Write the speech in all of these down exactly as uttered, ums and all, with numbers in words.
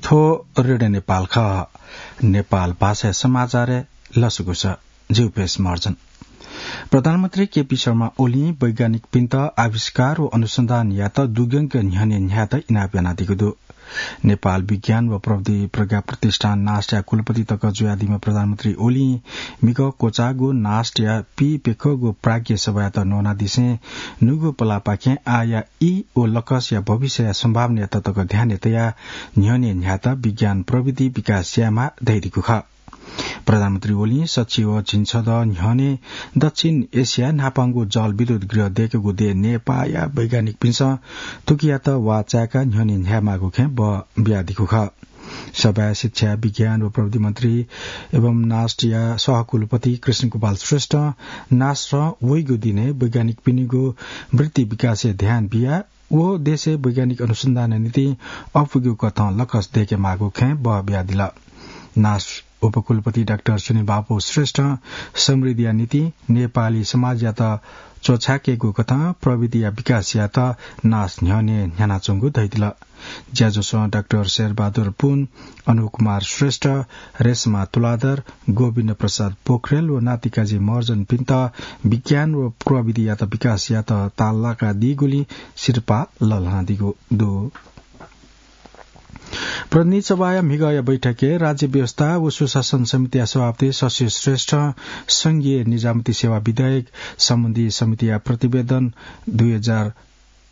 थ्व रेडियो नेपाल खः। नेपाल भाषाया समाचारय् लसकुस। जिगु पेश महर्जन। प्रधानमन्त्री केपी शर्मा ओलीं वैज्ञानिकपिन्त आविष्कार व अनुसन्धान यायेत दुग्यंक न्ह्यःने न्ह्यायेत इनाप यानादीगु दु। नेपाल विज्ञान व प्रविधि प्रज्ञा प्रतिष्ठान नास्टया कुलपति तक जुयादीम्ह प्रधानमन्त्री ओलीं मिगः क्वचाःगु नास्टया पीप्यखःगु प्राज्ञ सभायात न्वनादिसें न्हूगु पलाःपाखें आःया ई व लकसया भविष्यया सम्भावनायात तक ध्यानय् तयाः न्ह्यःने न्ह्यायेत विज्ञान प्रविधि विकास यायेमाः धयादीगु खः। प्रधानमन्त्री ओलीं सच्छि व झिंछदँ न्ह्यःने दक्षिण एसियाय् न्हापांगु जलविद्युत गृह दय्केगु देय् नेपाःया वैज्ञानिकपिन्सं थुकियात वाः चाय्काः न्ह्यःने न्ह्यायेमाःगु खँय् बः बियादीगु खः। सभाय् शिक्षा, विज्ञान व प्रविधि मन्त्री एवं नास्टया सहकुलपति कृष्ण गोपाल श्रेष्ठं नास्टं वइगु दिनय् वैज्ञानिकपिनिगु वृत्ति विकासय् ध्यान बियाः व देशय् वैज्ञानिक अनुसन्धानया निंतिं अपुगु कथं लकस दय्केमाःगु खँय् बः बियादिल। नास्ट उपकुलपति डाक्टर सुनिल बापू श्रेष्ठं समृद्धिया निंतिं नेपाली समाजयात च्वछाय्केगु कथं प्रविधिया विकासयात नास्ट न्ह्यःने न्ह्यानाच्वंगु धयादिल। ज्याझ्वलय् डाक्टर शेरबहादुर पुन, अनुप कुमार श्रेष्ठ, रेशमा तुलाधर, गोविन्द प्रसाद पोखरेल व नातिकाजी महर्जनपिन्त विज्ञान व प्रविधियात विकासयात ताःलाकादीगुलिं सिरपाः लःल्हानादीगु दु। प्रतिनिधि सभाया म्हिगःया बैठकय् राज्य व्यवस्था व सुशासन समितिया सभापति शशि श्रेष्ठं संघीय निजामती सेवा विधेयक सम्बन्धी समितिया प्रतिवेदन दुई हजार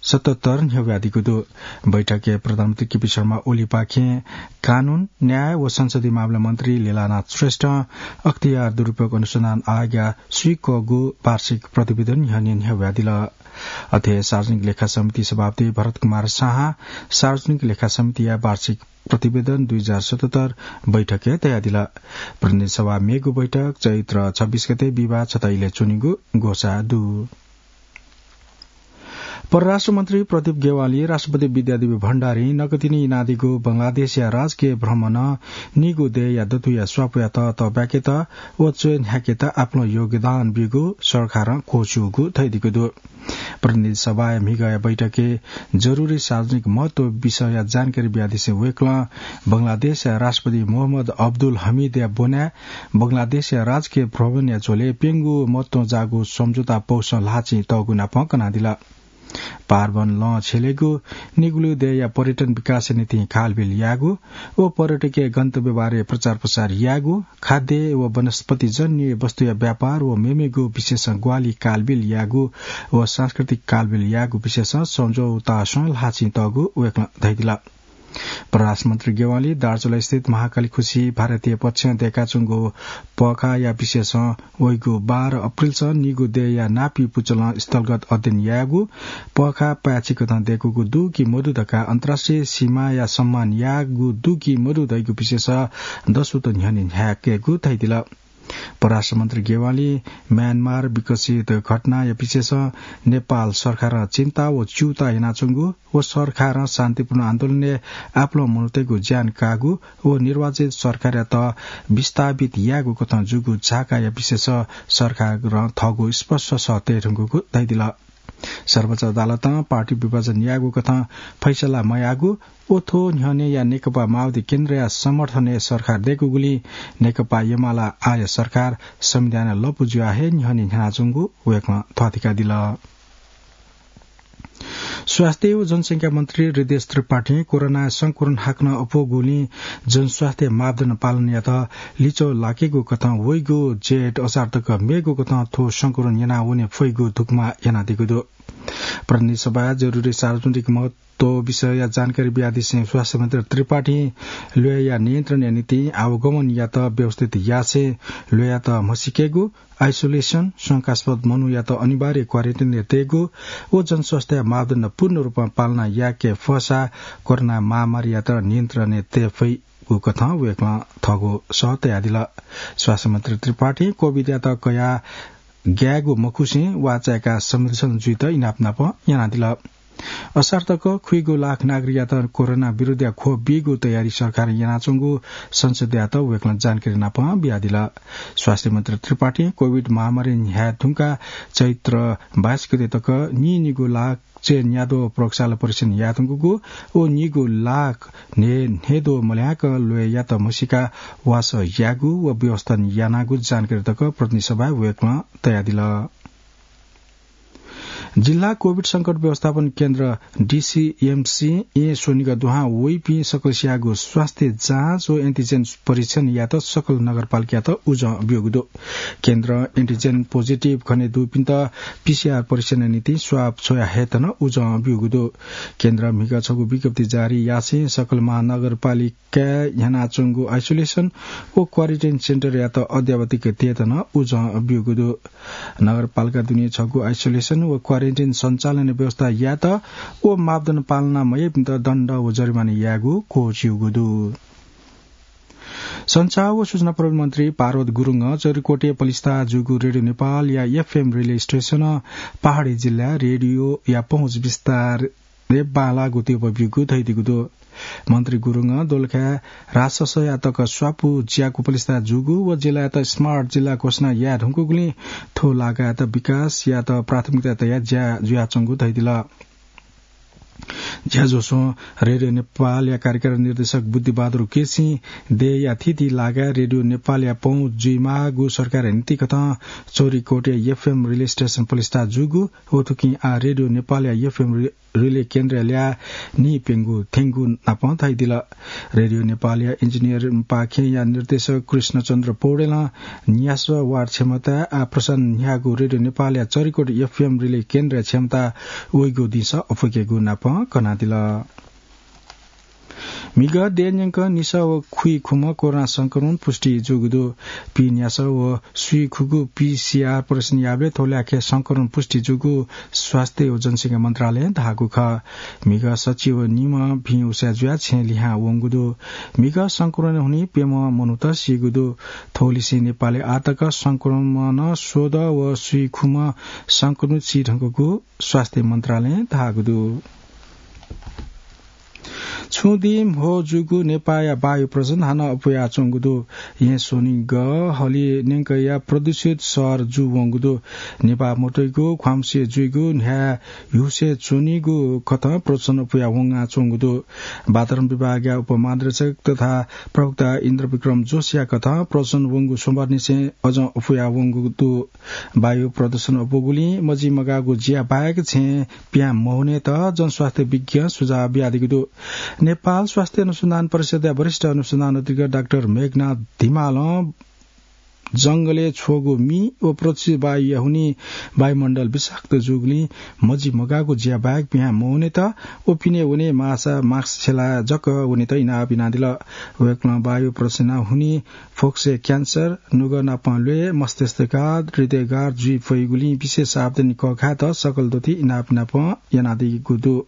सतहत्तर न्ह्यब्वयादीगु दु। बैठकय् प्रधानमन्त्री केपी शर्मा ओलीपाखें कानून, न्याय व संसदीय मामला मन्त्री लीलानाथ श्रेष्ठं अख्तियार दुरुपयोग अनुसन्धान आयोगया स्वीकःगु वार्षिक प्रतिवेदन न्ह्यःने न्ह्यब्वयादिल। अथे सार्वजनिक लेखा समिति सभापति भरत कुमार शाहं सार्वजनिक लेखा समितिया वार्षिक प्रतिवेदन दुई हजार सतहत्तर बैठकय् तयादिल। प्रतिनिधि सभा मेगु बैठक चैत्र छब्बीस गते बिहिबाः छता इलय् च्वनीगु ग्वसाः दु। परराष्ट्र मन्त्री प्रदीप ग्यावालीं राष्ट्रपति विद्यादेवी भण्डारीं नकतिनि यानादीगु बंगलादेशया राजकीय भ्रमणं निगू देय्‌या दथुया स्वापूयात तःब्याकेत व च्वय् न्ह्याकेत आपालं योगदान ब्यूगु सरकारं क्वःछिउगु धयादीगु दु। प्रतिनिधि सभाया म्हिगःया बैठकय् जरुरी सार्वजनिक महत्व विषयया जानकारी बियादिसें वय्‌कलं बंगलादेशया राष्ट्रपति मोहम्मद अब्दुल हमिदया ब्वनाय् बंगलादेशया राजकीय भ्रमणया झ्वलय् प्यंगू महत्वं जाःगु सम्झौता पौसं ल्हाःचिं तःगु नापं कनादिल। पारवन लं छ्यलेगु, निगू देय्‌या पर्यटन विकासया निंतिं खालबिल यायेगु व पर्यटकीय गन्तव्यबारे प्रचार प्रसार यायेगु, खाद्य व वनस्पतिजन्य वस्तुया व्यापार व मेमेगु विषयसं ग्वाहालि खालबिल यायेगु व सांस्कृतिक खालबिल यायेगु विषयसं सम्झौतासं ल्हाःचिं तःगु वय्‌कलं धयादिल। परराष्ट्र मन्त्री ग्यावालीं दार्चुलास्थित महाकाली खुसिइ भारतीय पक्षं दय्‌काच्वंगु पःखाःया विषयसं वइगु बाह्र अप्रिलसं निगू देय्‌या नापी पुचलं स्थलगत अध्ययन यायेगु, पःखाः पाय्‌छि कथं दय्‌कूगु दु कि मदु धकाः अन्तर्राष्ट्रिय सीमाया सम्मान याःगु दु कि मदु धइगु विषयसं दसुत न्ह्यःने न्ह्याकेगु धयादिल। परराष्ट्र मन्त्री ग्यावालीं म्यानमार विकसित घटनाया विषयसं नेपाल सरकारं चिन्ता व च्यूताः यानाच्वंगु व सरकारं शान्तिपूर्ण आन्दोलनय् आपालं मनूतय्‌गु ज्यान काःगु व निर्वाचित सरकारयात विस्थापित यायेगु कथं जूगु झाकाया विषयसं सरकारं थःगु स्पष्ट सः तये धुंकूगु धयादिल। सर्वोच्च अदालतं पार्टी विभाजन यायेगु कथं फैसला मयाःगु व थ्व न्ह्यःनेया नेकपा माओवादी केन्द्रया समर्थनय् सरकार दय्‌कूगुलिं नेकपा एमाले आःया सरकार संविधानय् लँपु जुयाः हे न्ह्यःने न्ह्यानाच्वंगु वय्‌कलं थःथिकादिल। स्वास्थ्य व जनसंख्या मन्त्री हृदयेश त्रिपाठीं कोरोनाया संक्रमण हाकनं अप्वःगुलिं जनस्वास्थ्य मापदण्ड पालन यायेत लिच्वः लाकेगु कथं वइगु जेठ असार तक मेगु कथं थ्व संक्रमण यनावने फइगु धुकुमा यानादीगु दु। प्रतिनिधि सभाय् जरुरी सार्वजनिक महत्व विषयया जानकारी बियादिसें स्वास्थ्य मन्त्री त्रिपाठीं ल्वय्‌या नियन्त्रणया निंतिं आवागमनयात व्यवस्थित यासें ल्वय्‌यात म्हसीकेगु, isolation, शंकास्पद मनूयात अनिवार्य quarantine-य् तयेगु व जनस्वास्थ्य मापदण्ड पूर्ण रूपं पालना याके फःसा कोरोना महामारीयात नियन्त्रणय् तये फइगु कथं वय्‌कलं थःगु सः तयादिल। स्वास्थ्य मन्त्री त्रिपाठीं COVID-यात कयाः ग्यायेगु मखुसें वाःचाय्‌काः संरक्षण जुइत इनाप नाप यानादिल। असार तक खुइगु लाख नागरिकयात कोरोना विरुद्धया खोप बीगु तयारी सरकारं यानाच्वंगु संसदयात वय्कलं जानकारी नाप बियादिल। स्वास्थ्य मन्त्री त्रिपाठीं कोभिड महामारी न्ह्याये धुंकाः चैत्र बाइस गते तक नीनिगू लाख चय् न्याद्वः प्रयोगशाला परीक्षण याये धुंकूगु व नीगू लाख न्हे-, न्हेद्वः मल्याक ल्वय्यात म्हसीका वासः यायेगु व व्यवस्थापन यानागु जानकारी तक प्रतिनिधि सभाय् वय्कलं तयादिल। जिल्ला कोभिड संकट व्यवस्थापन केन्द्र, डिसिएमसी, येँ स्वनिगः दुहां वइपिं सकलसियागु स्वास्थ्य जाँच व एन्टिजेन परीक्षण यायेत सकल नगरपालिकायात उजं ब्यूगु दु। केन्द्रं एन्टिजेन पोजिटिभ खने दुपिन्त पीसीआर परीक्षणया निंतिं स्वाब छ्वया हयेत नं उजं ब्यूगु दु। केन्द्रं म्हिगः छगू विज्ञप्ति जारी यासें सकल महानगरपालिका काय् न्ह्यानाच्वंगु आइसोलेसन व क्वारेन्टाइन सेन्टरयात अद्यावधिक तयेत नं उजं ब्यूगु दु। नगरपालिका दुने छगू आइसोलेसन व क्वारेन्टाइन सञ्चालन व्यवस्था यायेत व मापदण्ड पालना मयाइपिन्त दण्ड व जरिमाना यायेगु क्वःछिउगु दु। सञ्चार व सूचना प्रविधि मन्त्री पार्वत गुरुङं चौरीकोटे पलिस्था जूगु रेडियो नेपालया एफएम रिले स्टेसनं पहाडी जिल्लाय् रेडियोया पहुँच विस्तार बांलाःगु तीव्र ब्यूगु धयादीगु दु। मन्त्री गुरुङं दोलखाय् राजसंस्थाया तक स्वापू ज्याकू पलिस्था जूगु व जिल्लायात स्मार्ट जिल्ला घोषणा याये धुंकूगुलिं थ्व लागायात विकासयात प्राथमिकता तयाः ज्या जुयाच्वंगु धयादिल। ज्याझ्वलय् रेडियो नेपालया कार्यकारी निर्देशक बुद्धिबहादुर केसीं देय्‌या थीथी लागाय् रेडियो नेपालया पहुँच जुइमाःगु सरकारया नीतिकथं चौरीकोटया एफएम रिले स्टेसन पलिस्था जूगु व थुकिं आः रेडियो नेपालया एफएम रि-, रिले केन्द्रया ल्याः नीप्यंगू थ्यंगु नाप धयादिल। रेडियो नेपालया इन्जिनियरिङपाखेया निर्देशक कृष्णचन्द्र पौडेलं न्यासः वाट क्षमता आः प्रसारण न्ह्याःगु रेडियो नेपालया चौरीकोट एफएम रिले केन्द्रया क्षमता वइगु दिंसः अप्वयेकेगु नाप कनादिल। म्हिगः देय् न्यंक निसः व खुइखुम्ह कोरोना संक्रमण पुष्टि जूगु दु। पीन्यासः व सुइखुगू पीसीआर परीक्षण याःबलय् थ्व ल्याखय् संक्रमण पुष्टि जूगु स्वास्थ्य व जनसंख्या मन्त्रालयं धाःगु खः। म्हिगः सच्छि व निम्ह भिं उसाँय् जुयाः छेँ लिहां वंगु दु। म्हिगः संक्रमण हुनिं प्यम्ह मनूत सीगु दु। थ्वलिसें नेपालय् आःतक संक्रमणं स्वदँ व सुइखुम्ह संक्रमित सी धुंकूगु स्वास्थ्य मन्त्रालयं धाःगु दु। छुं दिं म्हो जूगु नेपाःया वायु प्रदूषण हानं अप्वयाच्वंगु दु। येँ स्वनिगः हलिं न्यंकया प्रदूषित शहर जूवंगु दु। नेपाः मोटरयागु ख्वामसे जुइगु न्ह्याः ह्युसे च्वनीगु कथं प्रदूषण अप्वया वंगाच्वंगु दु। वातावरण विभागया उपमहानिरीक्षक तथा प्रवक्ता इन्द्रविक्रम जोशीया कथं प्रदूषण वंगु सोमबारनिसें अझं अप्वया वंगु दु। वायु प्रदूषण अप्वःगुलिं मजिमगाःगु ज्या बाहेक छेँ पिहां महुनेत जनस्वास्थ्य विज्ञं सुझाव बियादीगु दु। नेपाल स्वास्थ्य अनुसन्धान परिषदया वरिष्ठ अनुसन्धान अधिकृत डाक्टर मेघनाथ धिमालं जंगलय् छ्वःगु मि व प्रदूषित वायुया हुनिं वायुमण्डल विषाक्त जूगुलिं मजिमगाःगु ज्या बाहेक पिहां महुनेत व पिने वने माःसा मास्क छ्यलाः जक वनेत इनाप यानादिल। वय्कलं वायु प्रदूषणया हुनिं फोक्सय् क्यान्सर, नुगः नाप ल्वय्, मस्तिष्कघात, हृदयघात जुइ फइगुलिं विशेष सावधानी कःघायेत सकल दथुइ इनाप नाप यानादीगु दु।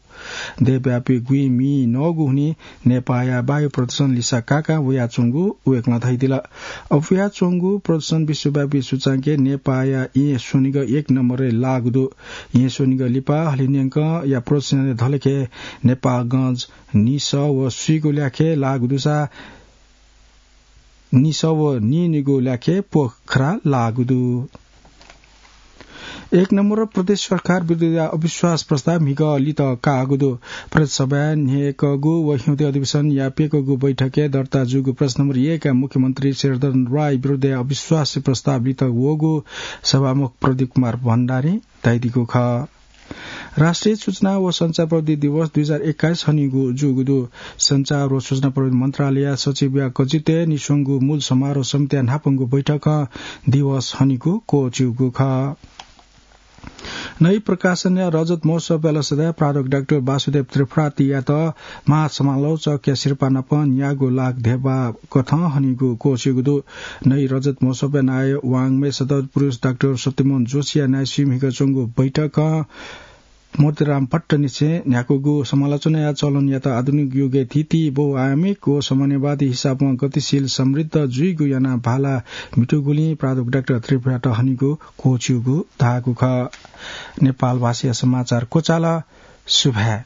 देशव्यापी गुइँ मि नःगु हुनिं नेपाःया वायु प्रदूषण लिसा काकां वयाच्वंगु वय्कलं धयादिल। अप्वयाच्वंगु प्रदूषण विश्वव्यापी सूचांकय् नेपाःया येँ स्वनिगः एक नम्बरय् लाःगु दु। येँ स्वनिगः लिपा हलिं न्यंकया प्रदूषणय् धलेखे नेपाःगंज निसः व सुइगू ल्याखय् लाःगु दुसा निसः व नीनिगू ल्याखय् पोखरा लाःगु दु। एक नम्बर प्रदेश सरकार विरुद्धया अविश्वास प्रस्ताव म्हिगः लित काःगु दु। प्रदेश सभाय् न्ह्यइकःगु व हिउँदे अधिवेशनया प्यकःगु बैठकय् दर्ता जूगु प्रदेश नम्बर एकया मुख्यमन्त्री शेरधन राय विरुद्धया अविश्वास प्रस्ताव लित वःगु सभामुख प्रदीप कुमार भण्डारीं धयादीगु खः। राष्ट्रिय सूचना व सञ्चार प्रविधि दिवस दुई हजार एक्काइस हनीगु जूगु दु। सञ्चार व सूचना प्रविधि मन्त्रालयया सचिवया कचित्वय् निस्वंगु मूल समारोह समितिया न्हापांगु बैठकं दिवस हनीगु क्वःछिउगु खः। नै प्रकाशनया रजत महोत्सवया लसताय् प्राध्यापक डाक्टर वासुदेव त्रिपाठीयात महासमालोचकया सिरपाः नाप न्यागू लाख धेबा कथं हनीगु क्वःछिउगु दु। नै रजत महोत्सवय् नायः वाङ्मय सत्पुरुष डाक्टर सत्यमोहन जोशीया नायःसुइ म्हिगः च्वंगु बैठकं मोतीराम भट्टनिसें न्ह्याकूगु समालोचनाया चलनयात आधुनिक युगय् थीथी बहुआयामिक व समन्वयवादी हिसाबं गतिशील समृद्ध जुइगु यानाः भाला म्हितूगुलिं प्राध्यापक डाक्टर त्रिपाठीयात हनीगु क्वःछिउगु धाःगु खः। नेपाल भाषाया समाचार क्वचाल। सुभाय्।